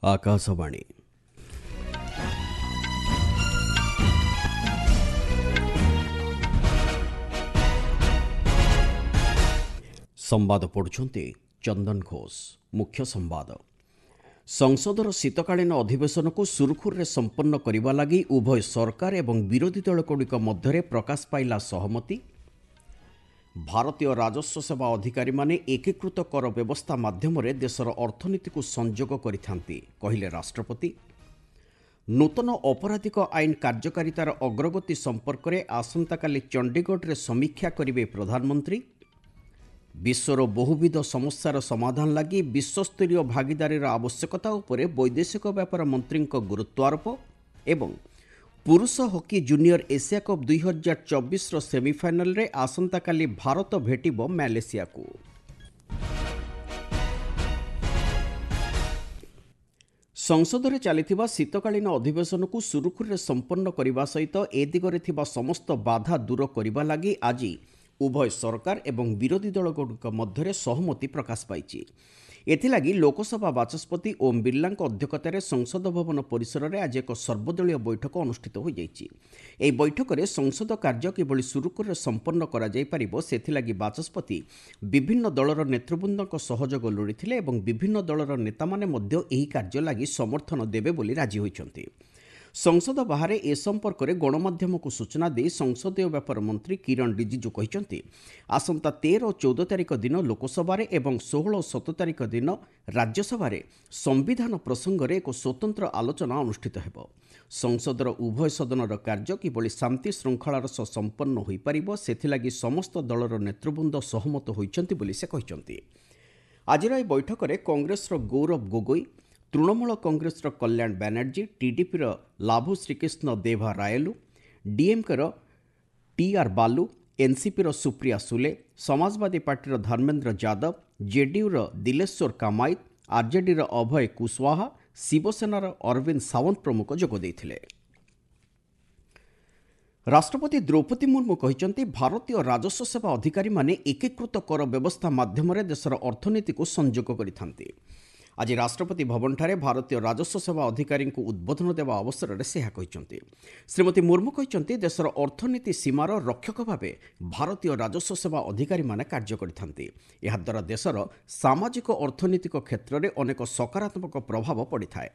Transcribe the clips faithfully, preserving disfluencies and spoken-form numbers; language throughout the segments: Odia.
ଆକାଶବାଣୀ। ସମ୍ବାଦ ପଢ଼ୁଛନ୍ତି ଚନ୍ଦନ ଘୋଷ। ମୁଖ୍ୟ ସମ୍ବାଦ। ସଂସଦର ଶୀତକାଳୀନ ଅଧିବେଶନକୁ ସୁରୁଖୁରୁରେ ସମ୍ପନ୍ନ କରିବା ଲାଗି ଉଭୟ ସରକାର ଏବଂ ବିରୋଧୀ ଦଳଗୁଡ଼ିକ ମଧ୍ୟରେ ପ୍ରକାଶ ପାଇଲା ସହମତି। ଭାରତୀୟ ରାଜସ୍ୱ ସେବା ଅଧିକାରୀମାନେ ଏକୀକୃତ କର ବ୍ୟବସ୍ଥା ମାଧ୍ୟମରେ ଦେଶର ଅର୍ଥନୀତିକୁ ସଂଯୋଗ କରିଥାନ୍ତି, କହିଲେ ରାଷ୍ଟ୍ରପତି। ନୂତନ ଅପରାଧିକ ଆଇନ କାର୍ଯ୍ୟକାରିତାର ଅଗ୍ରଗତି ସମ୍ପର୍କରେ ଆସନ୍ତାକାଲି ଚଣ୍ଡିଗଡ଼ରେ ସମୀକ୍ଷା କରିବେ ପ୍ରଧାନମନ୍ତ୍ରୀ। ବିଶ୍ୱର ବହୁବିଧ ସମସ୍ୟାର ସମାଧାନ ଲାଗି ବିଶ୍ୱସ୍ତରୀୟ ଭାଗିଦାରୀର ଆବଶ୍ୟକତା ଉପରେ ବୈଦେଶିକ ବ୍ୟାପାର ମନ୍ତ୍ରୀଙ୍କ ଗୁରୁତ୍ୱାରୋପ। ଏବଂ ପୁରୁଷ ହକି ଜୁନିୟର ଏସିଆ କପ୍ ଦୁଇହଜାର ଚବିଶର ସେମିଫାଇନାଲରେ ଆସନ୍ତାକାଲି ଭାରତ ଭେଟିବ ମ୍ୟାଲେସିଆକୁ। ସଂସଦରେ ଚାଲିଥିବା ଶୀତକାଳୀନ ଅଧିବେଶନକୁ ସୁରୁଖୁରୁରେ ସମ୍ପନ୍ନ କରିବା ସହିତ ଏ ଦିଗରେ ଥିବା ସମସ୍ତ ବାଧା ଦୂର କରିବା ଲାଗି ଆଜି ଉଭୟ ସରକାର ଏବଂ ବିରୋଧୀ ଦଳଗୁଡ଼ିକ ମଧ୍ୟରେ ସହମତି ପ୍ରକାଶ ପାଇଛି। ଏଥିଲାଗି ଲୋକସଭା ବାଚସ୍ପତି ଓମ୍ ବିର୍ଲାଙ୍କ ଅଧ୍ୟକ୍ଷତାରେ ସଂସଦ ଭବନ ପରିସରରେ ଆଜି ଏକ ସର୍ବଦଳୀୟ ବୈଠକ ଅନୁଷ୍ଠିତ ହୋଇଯାଇଛି। ଏହି ବୈଠକରେ ସଂସଦ କାର୍ଯ୍ୟ କିଭଳି ସୁରୁଖୁରୁରେ ସମ୍ପନ୍ନ କରାଯାଇପାରିବ ସେଥିଲାଗି ବାଚସ୍ପତି ବିଭିନ୍ନ ଦଳର ନେତୃବୃନ୍ଦଙ୍କ ସହଯୋଗ ଲୋଡ଼ିଥିଲେ ଏବଂ ବିଭିନ୍ନ ଦଳର ନେତାମାନେ ମଧ୍ୟ ଏହି କାର୍ଯ୍ୟ ଲାଗି ସମର୍ଥନ ଦେବେ ବୋଲି ରାଜି ହୋଇଛନ୍ତି। ସଂସଦ ବାହାରେ ଏ ସମ୍ପର୍କରେ ଗଣମାଧ୍ୟମକୁ ସୂଚନା ଦେଇ ସଂସଦୀୟ ବ୍ୟାପାର ମନ୍ତ୍ରୀ କିରଣ ରିଜିଜୁ କହିଛନ୍ତି, ଆସନ୍ତା ତେର ଓ ଚଉଦ ତାରିଖ ଦିନ ଲୋକସଭାରେ ଏବଂ ଷୋହଳ ଓ ସତର ତାରିଖ ଦିନ ରାଜ୍ୟସଭାରେ ସମ୍ବିଧାନ ପ୍ରସଙ୍ଗରେ ଏକ ସ୍ୱତନ୍ତ୍ର ଆଲୋଚନା ଅନୁଷ୍ଠିତ ହେବ। ସଂସଦର ଉଭୟ ସଦନର କାର୍ଯ୍ୟ କିଭଳି ଶାନ୍ତି ଶୃଙ୍ଖଳାର ସହ ସମ୍ପନ୍ନ ହୋଇପାରିବ ସେଥିଲାଗି ସମସ୍ତ ଦଳର ନେତୃବୃନ୍ଦ ସହମତ ହୋଇଛନ୍ତି ବୋଲି ସେ କହିଛନ୍ତି। ଆଜିର ଏହି ବୈଠକରେ କଂଗ୍ରେସର ଗୌରବ ଗୋଗୋଇ, ତୃଣମୂଳ କଂଗ୍ରେସର କଲ୍ୟାଣ ବାନାର୍ଜୀ, ଟିଡିପିର ଲାଭୁ ଶ୍ରୀକୃଷ୍ଣ ଦେଭା ରାୟଲୁ, ଡିଏମ୍କେର ଟିଆର୍ ବାଲୁ, ଏନ୍ସିପିର ସୁପ୍ରିୟା ସୁଲେ, ସମାଜବାଦୀ ପାର୍ଟିର ଧର୍ମେନ୍ଦ୍ର ଯାଦବ, ଜେଡିୟୁର ଦିଲେଶ୍ୱର କାମାଇତ, ଆର୍ଜେଡିର ଅଭୟ କୁଶୱାହା, ଶିବସେନାର ଅରବିନ୍ଦ ସାୱନ୍ତ ପ୍ରମୁଖ ଯୋଗ ଦେଇଥିଲେ। ରାଷ୍ଟ୍ରପତି ଦ୍ରୌପଦୀ ମୁର୍ମୁ କହିଛନ୍ତି, ଭାରତୀୟ ରାଜସ୍ୱ ସେବା ଅଧିକାରୀମାନେ ଏକୀକୃତ କର ବ୍ୟବସ୍ଥା ମାଧ୍ୟମରେ ଦେଶର ଅର୍ଥନୀତିକୁ ସଂଯୋଗ କରିଥାନ୍ତି। ଆଜି ରାଷ୍ଟ୍ରପତି ଭବନଠାରେ ଭାରତୀୟ ରାଜସ୍ୱ ସେବା ଅଧିକାରୀଙ୍କୁ ଉଦ୍ବୋଧନ ଦେବା ଅବସରରେ ସେ ଏହା କହିଛନ୍ତି। ଶ୍ରୀମତୀ ମୁର୍ମୁ କହିଛନ୍ତି, ଦେଶର ଅର୍ଥନୀତି ସୀମାର ରକ୍ଷକ ଭାବେ ଭାରତୀୟ ରାଜସ୍ୱ ସେବା ଅଧିକାରୀମାନେ କାର୍ଯ୍ୟ କରିଥାନ୍ତି। ଏହାଦ୍ୱାରା ଦେଶର ସାମାଜିକ ଅର୍ଥନୈତିକ କ୍ଷେତ୍ରରେ ଅନେକ ସକାରାତ୍ମକ ପ୍ରଭାବ ପଡ଼ିଥାଏ।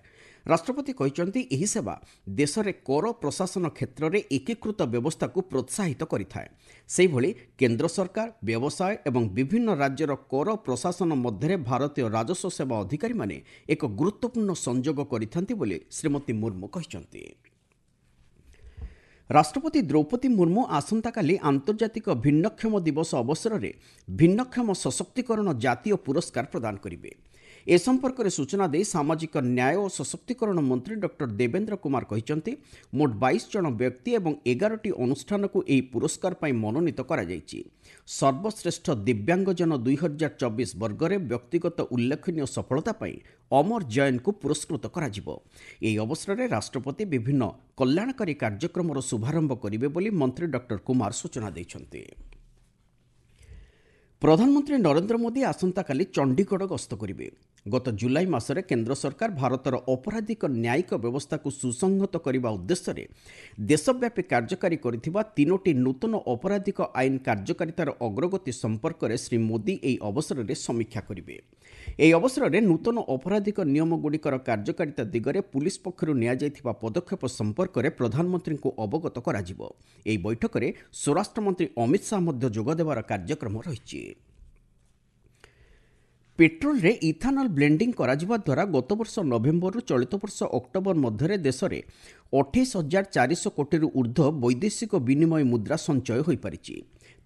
ରାଷ୍ଟ୍ରପତି କହିଛନ୍ତି, ଏହି ସେବା ଦେଶରେ କର ପ୍ରଶାସନ କ୍ଷେତ୍ରରେ ଏକୀକୃତ ବ୍ୟବସ୍ଥାକୁ ପ୍ରୋତ୍ସାହିତ କରିଥାଏ। ସେହିଭଳି କେନ୍ଦ୍ର ସରକାର, ବ୍ୟବସାୟ ଏବଂ ବିଭିନ୍ନ ରାଜ୍ୟର କର ପ୍ରଶାସନ ମଧ୍ୟରେ ଭାରତୀୟ ରାଜସ୍ୱ ସେବା ଅଧିକାରୀମାନେ ଏକ ଗୁରୁତ୍ୱପୂର୍ଣ୍ଣ ସଂଯୋଗ କରିଥାନ୍ତି ବୋଲି ଶ୍ରୀମତୀ ମୁର୍ମୁ କହିଛନ୍ତି। ରାଷ୍ଟ୍ରପତି ଦ୍ରୌପଦୀ ମୁର୍ମୁ ଆସନ୍ତାକାଲି ଆନ୍ତର୍ଜାତିକ ଭିନ୍ନକ୍ଷମ ଦିବସ ଅବସରରେ ଭିନ୍ନକ୍ଷମ ସଶକ୍ତିକରଣ ଜାତୀୟ ପୁରସ୍କାର ପ୍ରଦାନ କରିବେ। ଏ ସମ୍ପର୍କରେ ସୂଚନା ଦେଇ ସାମାଜିକ ନ୍ୟାୟ ଓ ସଶକ୍ତିକରଣ ମନ୍ତ୍ରୀ ଡକ୍ଟର ଦେବେନ୍ଦ୍ର କୁମାର କହିଛନ୍ତି, ମୋଟ ବାଇଶ ଜଣ ବ୍ୟକ୍ତି ଏବଂ ଏଗାରଟି ଅନୁଷ୍ଠାନକୁ ଏହି ପୁରସ୍କାର ପାଇଁ ମନୋନୀତ କରାଯାଇଛି। ସର୍ବଶ୍ରେଷ୍ଠ ଦିବ୍ୟାଙ୍ଗଜନ ଦୁଇହଜାର ଚବିଶ ବର୍ଗରେ ବ୍ୟକ୍ତିଗତ ଉଲ୍ଲେଖନୀୟ ସଫଳତା ପାଇଁ ଅମର ଜୈନଙ୍କୁ ପୁରସ୍କୃତ କରାଯିବ। ଏହି ଅବସରରେ ରାଷ୍ଟ୍ରପତି ବିଭିନ୍ନ କଲ୍ୟାଣକାରୀ କାର୍ଯ୍ୟକ୍ରମର ଶୁଭାରମ୍ଭ କରିବେ ବୋଲି ମନ୍ତ୍ରୀ ଡକ୍ଟର କୁମାର ସୂଚନା ଦେଇଛନ୍ତି। ପ୍ରଧାନମନ୍ତ୍ରୀ ନରେନ୍ଦ୍ର ମୋଦି ଆସନ୍ତାକାଲି ଚଣ୍ଡିଗଡ଼ ଗସ୍ତ କରିବେ। ଗତ ଜୁଲାଇ ମାସରେ କେନ୍ଦ୍ର ସରକାର ଭାରତର ଅପରାଧିକ ନ୍ୟାୟିକ ବ୍ୟବସ୍ଥାକୁ ସୁସଂହତ କରିବା ଉଦ୍ଦେଶ୍ୟରେ ଦେଶବ୍ୟାପୀ କାର୍ଯ୍ୟକାରୀ କରିଥିବା ତିନୋଟି ନୂତନ ଅପରାଧିକ ଆଇନ କାର୍ଯ୍ୟକାରିତାର ଅଗ୍ରଗତି ସମ୍ପର୍କରେ ଶ୍ରୀ ମୋଦି ଏହି ଅବସରରେ ସମୀକ୍ଷା କରିବେ। ଏହି ଅବସରରେ ନୂତନ ଅପରାଧିକ ନିୟମଗୁଡ଼ିକର କାର୍ଯ୍ୟକାରିତା ଦିଗରେ ପୁଲିସ ପକ୍ଷରୁ ନିଆଯାଇଥିବା ପଦକ୍ଷେପ ସମ୍ପର୍କରେ ପ୍ରଧାନମନ୍ତ୍ରୀଙ୍କୁ ଅବଗତ କରାଯିବ। ଏହି ବୈଠକରେ ସ୍ୱରାଷ୍ଟ୍ରମନ୍ତ୍ରୀ ଅମିତ ଶାହା ମଧ୍ୟ ଯୋଗଦେବାର କାର୍ଯ୍ୟକ୍ରମ ରହିଛି। ପେଟ୍ରୋଲରେ ଇଥାନଲ ବ୍ଲେଣ୍ଡିଂ କରାଯିବା ଦ୍ୱାରା ଗତବର୍ଷ ନଭେମ୍ବରରୁ ଚଳିତ ବର୍ଷ ଅକ୍ଟୋବର ମଧ୍ୟରେ ଦେଶରେ ଅଠେଇଶ ହଜାର ଚାରିଶହ କୋଟିରୁ ଉର୍ଦ୍ଧ୍ୱ ବୈଦେଶିକ ବିନିମୟ ମୁଦ୍ରା ସଞ୍ଚୟ ହୋଇପାରିଛି।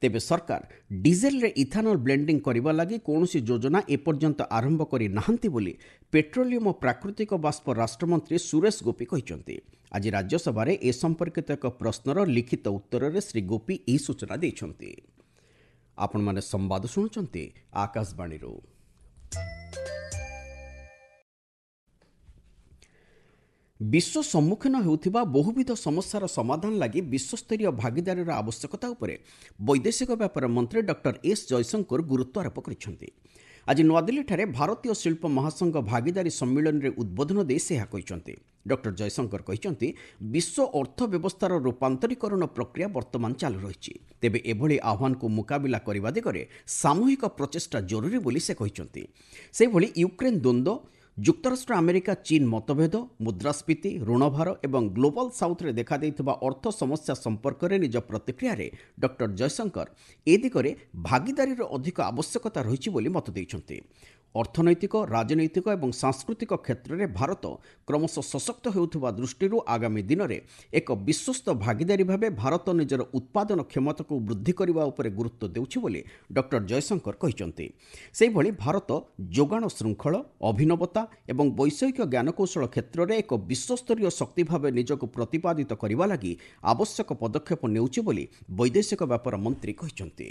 ତେବେ ସରକାର ଡିଜେଲରେ ଇଥାନଲ ବ୍ଲେଣ୍ଡିଂ କରିବା ଲାଗି କୌଣସି ଯୋଜନା ଏପର୍ଯ୍ୟନ୍ତ ଆରମ୍ଭ କରିନାହାନ୍ତି ବୋଲି ପେଟ୍ରୋଲିୟମ ଓ ପ୍ରାକୃତିକ ବାଷ୍ପ ରାଷ୍ଟ୍ରମନ୍ତ୍ରୀ ସୁରେଶ ଗୋପୀ କହିଛନ୍ତି। ଆଜି ରାଜ୍ୟସଭାରେ ଏ ସମ୍ପର୍କିତ ଏକ ପ୍ରଶ୍ନର ଲିଖିତ ଉତ୍ତରରେ ଶ୍ରୀ ଗୋପୀ ଏହି ସୂଚନା ଦେଇଛନ୍ତି। ଆପଣମାନେ ସମ୍ବାଦ ଶୁଣୁଛନ୍ତି ଆକାଶବାଣୀରୁ। ବିଶ୍ୱ ସମ୍ମୁଖୀନ ହେଉଥିବା ବହୁବିଧ ସମସ୍ୟାର ସମାଧାନ ଲାଗି ବିଶ୍ୱସ୍ତରୀୟ ଭାଗିଦାରୀର ଆବଶ୍ୟକତା ଉପରେ ବୈଦେଶିକ ବ୍ୟାପାର ମନ୍ତ୍ରୀ ଡକ୍ଟର ଏସ୍ ଜୟଶଙ୍କର ଗୁରୁତ୍ୱାରୋପ କରିଛନ୍ତି। ଆଜି ନୂଆଦିଲ୍ଲୀଠାରେ ଭାରତୀୟ ଶିଳ୍ପ ମହାସଂଘ ଭାଗିଦାରୀ ସମ୍ମିଳନୀରେ ଉଦ୍ବୋଧନ ଦେଇ ସେ ଏହା କହିଛନ୍ତି। ଡକ୍ଟର ଜୟଶଙ୍କର କହିଛନ୍ତି, ବିଶ୍ୱ ଅର୍ଥ ବ୍ୟବସ୍ଥାର ରୂପାନ୍ତରୀକରଣ ପ୍ରକ୍ରିୟା ବର୍ତ୍ତମାନ ଚାଲୁ ରହିଛି। ତେବେ ଏଭଳି ଆହ୍ୱାନକୁ ମୁକାବିଲା କରିବା ଦିଗରେ ସାମୂହିକ ପ୍ରଚେଷ୍ଟା ଜରୁରୀ ବୋଲି ସେ କହିଛନ୍ତି। ସେହିଭଳି ୟୁକ୍ରେନ୍ ଦ୍ୱନ୍ଦ୍ୱ, ଯୁକ୍ତରାଷ୍ଟ୍ର ଆମେରିକା ଚୀନ ମତଭେଦ, ମୁଦ୍ରାସ୍ଫୀତି, ଋଣଭାର ଏବଂ ଗ୍ଲୋବାଲ୍ ସାଉଥ୍ରେ ଦେଖାଦେଇଥିବା ଅର୍ଥ ସମସ୍ୟା ସମ୍ପର୍କରେ ନିଜ ପ୍ରତିକ୍ରିୟାରେ ଡକ୍ଟର ଜୟଶଙ୍କର ଏ ଦିଗରେ ଭାଗିଦାରୀର ଅଧିକ ଆବଶ୍ୟକତା ରହିଛି ବୋଲି ମତ ଦେଇଛନ୍ତି। ଅର୍ଥନୈତିକ, ରାଜନୈତିକ ଏବଂ ସାଂସ୍କୃତିକ କ୍ଷେତ୍ରରେ ଭାରତ କ୍ରମଶଃ ସଶକ୍ତ ହେଉଥିବା ଦୃଷ୍ଟିରୁ ଆଗାମୀ ଦିନରେ ଏକ ବିଶ୍ୱସ୍ତ ଭାଗିଦାରୀ ଭାବେ ଭାରତ ନିଜର ଉତ୍ପାଦନ କ୍ଷମତାକୁ ବୃଦ୍ଧି କରିବା ଉପରେ ଗୁରୁତ୍ୱ ଦେଉଛି ବୋଲି ଡକ୍ଟର ଜୟଶଙ୍କର କହିଛନ୍ତି। ସେହିଭଳି ଭାରତ ଯୋଗାଣ ଶୃଙ୍ଖଳ, ଅଭିନବତା ଏବଂ ବୈଷୟିକ ଜ୍ଞାନକୌଶଳ କ୍ଷେତ୍ରରେ ଏକ ବିଶ୍ୱସ୍ତରୀୟ ଶକ୍ତି ଭାବେ ନିଜକୁ ପ୍ରତିପାଦିତ କରିବା ଲାଗି ଆବଶ୍ୟକ ପଦକ୍ଷେପ ନେଉଛି ବୋଲି ବୈଦେଶିକ ବ୍ୟାପାର ମନ୍ତ୍ରୀ କହିଛନ୍ତି।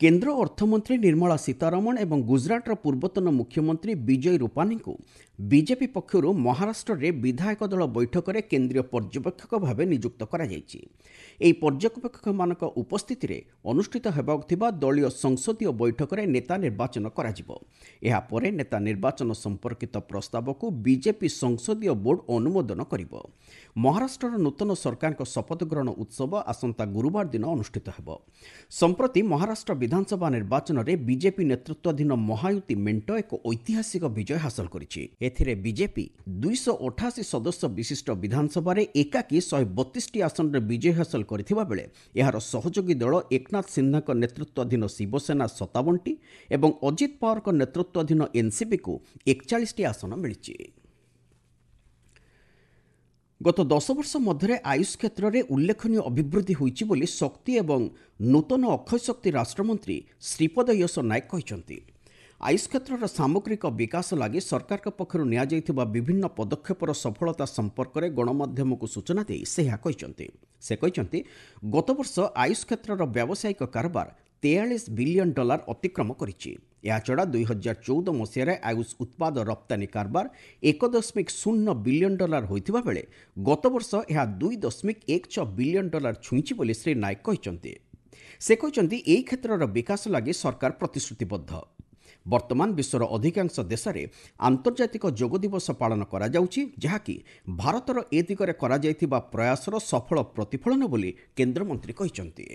କେନ୍ଦ୍ର ଅର୍ଥମନ୍ତ୍ରୀ ନିର୍ମଳା ସୀତାରମଣ ଏବଂ ଗୁଜରାଟର ପୂର୍ବତନ ମୁଖ୍ୟମନ୍ତ୍ରୀ ବିଜୟ ରୂପାନୀଙ୍କୁ ବିଜେପି ପକ୍ଷରୁ ମହାରାଷ୍ଟ୍ରରେ ବିଧାୟକ ଦଳ ବୈଠକରେ କେନ୍ଦ୍ରୀୟ ପର୍ଯ୍ୟବେକ୍ଷକ ଭାବେ ନିଯୁକ୍ତ କରାଯାଇଛି। ଏହି ପର୍ଯ୍ୟବେକ୍ଷକମାନଙ୍କ ଉପସ୍ଥିତିରେ ଅନୁଷ୍ଠିତ ହେବାକୁ ଥିବା ଦଳୀୟ ସଂସଦୀୟ ବୈଠକରେ ନେତା ନିର୍ବାଚନ କରାଯିବ। ଏହାପରେ ନେତା ନିର୍ବାଚନ ସମ୍ପର୍କିତ ପ୍ରସ୍ତାବକୁ ବିଜେପି ସଂସଦୀୟ ବୋର୍ଡ ଅନୁମୋଦନ କରିବ। ମହାରାଷ୍ଟ୍ରର ନୂତନ ସରକାରଙ୍କ ଶପଥ ଗ୍ରହଣ ଉତ୍ସବ ଆସନ୍ତା ଗୁରୁବାର ଦିନ ଅନୁଷ୍ଠିତ ହେବ। ସମ୍ପ୍ରତି ମହାରାଷ୍ଟ୍ର ବିଧାନସଭା ନିର୍ବାଚନରେ ବିଜେପି ନେତୃତ୍ୱାଧୀନ ମହାୟୁତି ମେଣ୍ଟ ଏକ ଐତିହାସିକ ବିଜୟ ହାସଲ କରିଛି। ଏଥିରେ ବିଜେପି ଦୁଇଶହ ଅଠାଅଶୀ ସଦସ୍ୟ ବିଶିଷ୍ଟ ବିଧାନସଭାରେ ଏକାକୀ ଶହେ ବତିଶଟି ଆସନରେ ବିଜୟ ହାସଲ କରିଥିବା ବେଳେ ଏହାର ସହଯୋଗୀ ଦଳ ଏକନାଥ ସିନ୍ଧେଙ୍କ ନେତୃତ୍ୱାଧୀନ ଶିବସେନା ସତାବନଟି ଏବଂ ଅଜିତ ପାୱାରଙ୍କ ନେତୃତ୍ୱାଧୀନ ଏନ୍ସିପିକୁ ଏକଚାଳିଶଟି ଆସନ ମିଳିଛି। ଗତ ଦଶ ବର୍ଷ ମଧ୍ୟରେ ଆୟୁଷ କ୍ଷେତ୍ରରେ ଉଲ୍ଲେଖନୀୟ ଅଭିବୃଦ୍ଧି ହୋଇଛି ବୋଲି ଶକ୍ତି ଏବଂ ନୂତନ ଅକ୍ଷୟ ଶକ୍ତି ରାଷ୍ଟ୍ରମନ୍ତ୍ରୀ ଶ୍ରୀପଦ ୟଶ ନାୟକ କହିଛନ୍ତି। ଆୟୁଷ କ୍ଷେତ୍ରର ସାମଗ୍ରିକ ବିକାଶ ଲାଗି ସରକାରଙ୍କ ପକ୍ଷରୁ ନିଆଯାଇଥିବା ବିଭିନ୍ନ ପଦକ୍ଷେପର ସଫଳତା ସମ୍ପର୍କରେ ଗଣମାଧ୍ୟମକୁ ସୂଚନା ଦେଇ ସେ ଏହା କହିଛନ୍ତି। ସେ କହିଛନ୍ତି, ଗତବର୍ଷ ଆୟୁଷ କ୍ଷେତ୍ରର ବ୍ୟାବସାୟିକ କାରବାର ତେୟାଳିଶ ବିଲିୟନ ଡଲାର ଅତିକ୍ରମ କରିଛି। ଏହାଛଡ଼ା ଦୁଇ ହଜାର ଚଉଦ ମସିହାରେ ଆୟୁଷ ଉତ୍ପାଦ ରପ୍ତାନୀ କାରବାର ଏକ ଦଶମିକ ଶୂନ୍ୟ ବିଲିୟନ ଡଲାର ହୋଇଥିବା ବେଳେ ଗତବର୍ଷ ଏହା ଦୁଇ ଦଶମିକ ଏକ ଛଅ ବିଲିୟନ ଡଲାର ଛୁଇଁଛି ବୋଲି ଶ୍ରୀ ନାୟକ କହିଛନ୍ତି। ସେ କହିଛନ୍ତି, ଏହି କ୍ଷେତ୍ରର ବିକାଶ ଲାଗି ସରକାର ପ୍ରତିଶ୍ରୁତିବଦ୍ଧ। ବର୍ତ୍ତମାନ ବିଶ୍ୱର ଅଧିକାଂଶ ଦେଶରେ ଆନ୍ତର୍ଜାତିକ ଯୋଗ ଦିବସ ପାଳନ କରାଯାଉଛି, ଯାହାକି ଭାରତର ଏ ଦିଗରେ କରାଯାଇଥିବା ପ୍ରୟାସର ସଫଳ ପ୍ରତିଫଳନ ବୋଲି କେନ୍ଦ୍ରମନ୍ତ୍ରୀ କହିଛନ୍ତି।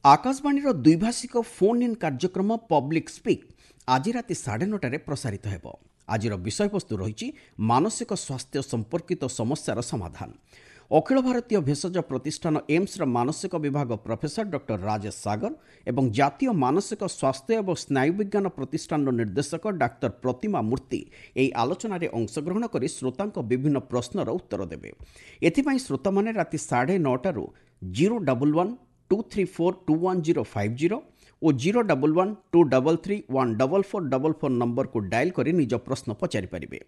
ଆକାଶବାଣୀର ଦ୍ୱିଭାଷିକ ଫୋନ୍ ଇନ୍ କାର୍ଯ୍ୟକ୍ରମ ପବ୍ଲିକ୍ ସ୍ପିକ୍ ଆଜି ରାତି ସାଢ଼େ ନଅଟାରେ ପ୍ରସାରିତ ହେବ। ଆଜିର ବିଷୟବସ୍ତୁ ରହିଛି ମାନସିକ ସ୍ୱାସ୍ଥ୍ୟ ସମ୍ପର୍କିତ ସମସ୍ୟାର ସମାଧାନ। ଅଖିଳ ଭାରତୀୟ ଭେଷଜ ପ୍ରତିଷ୍ଠାନ ଏମ୍ସର ମାନସିକ ବିଭାଗ ପ୍ରଫେସର ଡକ୍ଟର ରାଜେଶ ସାଗର ଏବଂ ଜାତୀୟ ମାନସିକ ସ୍ୱାସ୍ଥ୍ୟ ଏବଂ ସ୍ନାୟୁବିଜ୍ଞାନ ପ୍ରତିଷ୍ଠାନର ନିର୍ଦ୍ଦେଶକ ଡାକ୍ତର ପ୍ରତିମା ମୂର୍ତ୍ତି ଏହି ଆଲୋଚନାରେ ଅଂଶଗ୍ରହଣ କରି ଶ୍ରୋତାଙ୍କ ବିଭିନ୍ନ ପ୍ରଶ୍ନର ଉତ୍ତର ଦେବେ। ଏଥିପାଇଁ ଶ୍ରୋତାମାନେ ରାତି ସାଢ଼େ ନଅଟାରୁ zero double one two three four two one zero five zero ଓ zero double one two double three one double four double four ନମ୍ବରକୁ ଡାଏଲ୍ କରି ନିଜ ପ୍ରଶ୍ନ ପଚାରିପାରିବେ।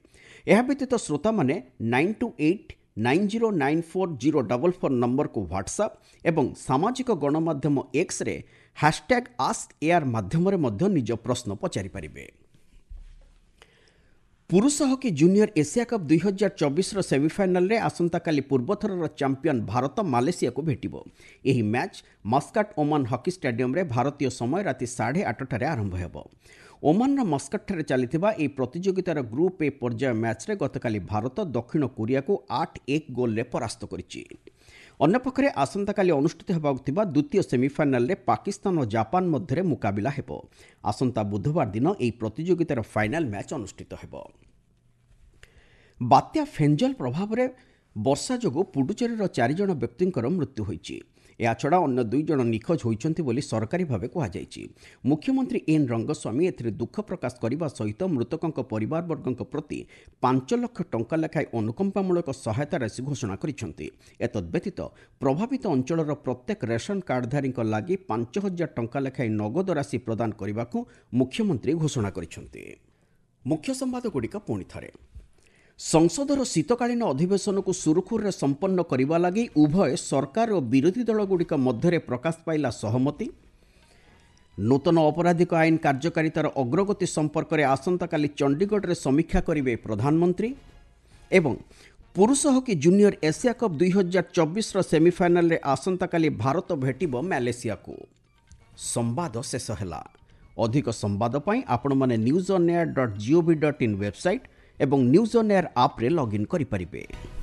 ଏହା ବ୍ୟତୀତ ଶ୍ରୋତାମାନେ nine two eight nine zero nine four zero double four ନମ୍ବରକୁ ହ୍ୱାଟ୍ସଆପ୍ ଏବଂ ସାମାଜିକ ଗଣମାଧ୍ୟମ ଏକ୍ସରେ ହ୍ୟାସଟ୍ୟାଗ୍ ଆସ୍କ ଏଆର୍ ମାଧ୍ୟମରେ ମଧ୍ୟ ନିଜ ପ୍ରଶ୍ନ ପଚାରିପାରିବେ। ପୁରୁଷ ହକି ଜୁନିୟର ଏସିଆ କପ୍ ଦୁଇ ହଜାର ଚବିଶର ସେମିଫାଇନାଲରେ ଆସନ୍ତାକାଲି ପୂର୍ବଥରର ଚାମ୍ପିୟନ ଭାରତ ମାଲେସିଆକୁ ଭେଟିବ। ଏହି ମ୍ୟାଚ୍ ମସ୍କାଟ ଓମାନ ହକି ଷ୍ଟାଡିୟମରେ ଭାରତୀୟ ସମୟ ରାତି ସାଢ଼େ ଆଠଟାରେ ଆରମ୍ଭ ହେବ। ଓମାନର ମସ୍କଟଠାରେ ଚାଲିଥିବା ଏହି ପ୍ରତିଯୋଗିତାର ଗ୍ରୁପ୍ ଏ ପର୍ଯ୍ୟାୟ ମ୍ୟାଚ୍ରେ ଗତକାଲି ଭାରତ ଦକ୍ଷିଣ କୋରିଆକୁ ଆଠ ଏକ ଗୋଲ୍ରେ ପରାସ୍ତ କରିଛି। ଅନ୍ୟପକ୍ଷରେ ଆସନ୍ତାକାଲି ଅନୁଷ୍ଠିତ ହେବାକୁ ଥିବା ଦ୍ୱିତୀୟ ସେମିଫାଇନାଲରେ ପାକିସ୍ତାନ ଓ ଜାପାନ ମଧ୍ୟରେ ମୁକାବିଲା ହେବ। ଆସନ୍ତା ବୁଧବାର ଦିନ ଏହି ପ୍ରତିଯୋଗିତାର ଫାଇନାଲ ମ୍ୟାଚ୍ ଅନୁଷ୍ଠିତ ହେବ। ବାତ୍ୟା ଫେଞ୍ଜଲ ପ୍ରଭାବରେ ବର୍ଷା ଯୋଗୁଁ ପୁଡୁଚେରୀର ଚାରିଜଣ ବ୍ୟକ୍ତିଙ୍କର ମୃତ୍ୟୁ ହୋଇଛି। ଏହାଛଡ଼ା ଅନ୍ୟ ଦୁଇ ଜଣ ନିଖୋଜ ହୋଇଛନ୍ତି ବୋଲି ସରକାରୀ ଭାବେ କୁହାଯାଇଛି। ମୁଖ୍ୟମନ୍ତ୍ରୀ ଏନ୍ ରଙ୍ଗସ୍ୱାମୀ ଏଥିରେ ଦୁଃଖ ପ୍ରକାଶ କରିବା ସହିତ ମୃତକଙ୍କ ପରିବାରବର୍ଗଙ୍କ ପ୍ରତି ପାଞ୍ଚ ଲକ୍ଷ ଟଙ୍କା ଲେଖାଏଁ ଅନୁକମ୍ପାମୂଳକ ସହାୟତା ରାଶି ଘୋଷଣା କରିଛନ୍ତି। ଏତଦ୍ବ୍ୟତୀତ ପ୍ରଭାବିତ ଅଞ୍ଚଳର ପ୍ରତ୍ୟେକ ରେସନ କାର୍ଡଧାରୀଙ୍କ ଲାଗି ପାଞ୍ଚ ହଜାର ଟଙ୍କା ଲେଖାଏଁ ନଗଦ ରାଶି ପ୍ରଦାନ କରିବାକୁ ମୁଖ୍ୟମନ୍ତ୍ରୀ ଘୋଷଣା କରିଛନ୍ତି। ମୁଖ୍ୟ ସମ୍ବାଦଗୁଡ଼ିକ ପୁଣି ଥରେ। ସଂସଦର ଶୀତକାଳୀନ ଅଧିବେଶନକୁ ସୁରୁଖୁରୁରେ ସମ୍ପନ୍ନ କରିବା ଲାଗି ଉଭୟ ସରକାର ଓ ବିରୋଧୀ ଦଳଗୁଡ଼ିକ ମଧ୍ୟରେ ପ୍ରକାଶ ପାଇଲା ସହମତି। ନୂତନ ଅପରାଧିକ ଆଇନ କାର୍ଯ୍ୟକାରିତାର ଅଗ୍ରଗତି ସମ୍ପର୍କରେ ଆସନ୍ତାକାଲି ଚଣ୍ଡିଗଡ଼ରେ ସମୀକ୍ଷା କରିବେ ପ୍ରଧାନମନ୍ତ୍ରୀ। ଏବଂ ପୁରୁଷ ହକି ଜୁନିୟର ଏସିଆ କପ୍ ଦୁଇ ହଜାର ଚବିଶର ସେମିଫାଇନାଲରେ ଆସନ୍ତାକାଲି ଭାରତ ଭେଟିବ ମାଲେସିଆକୁ। ସମ୍ବାଦ ଶେଷ ହେଲା। ଅଧିକ ସମ୍ବାଦ ପାଇଁ ଆପଣମାନେ news on air dot gov dot in website ଏବଂ ନ୍ୟୁଜ୍ ଅନ୍ ଏୟାର ଆପ୍ରେ ଲଗ୍ଇନ୍ କରିପାରିବେ।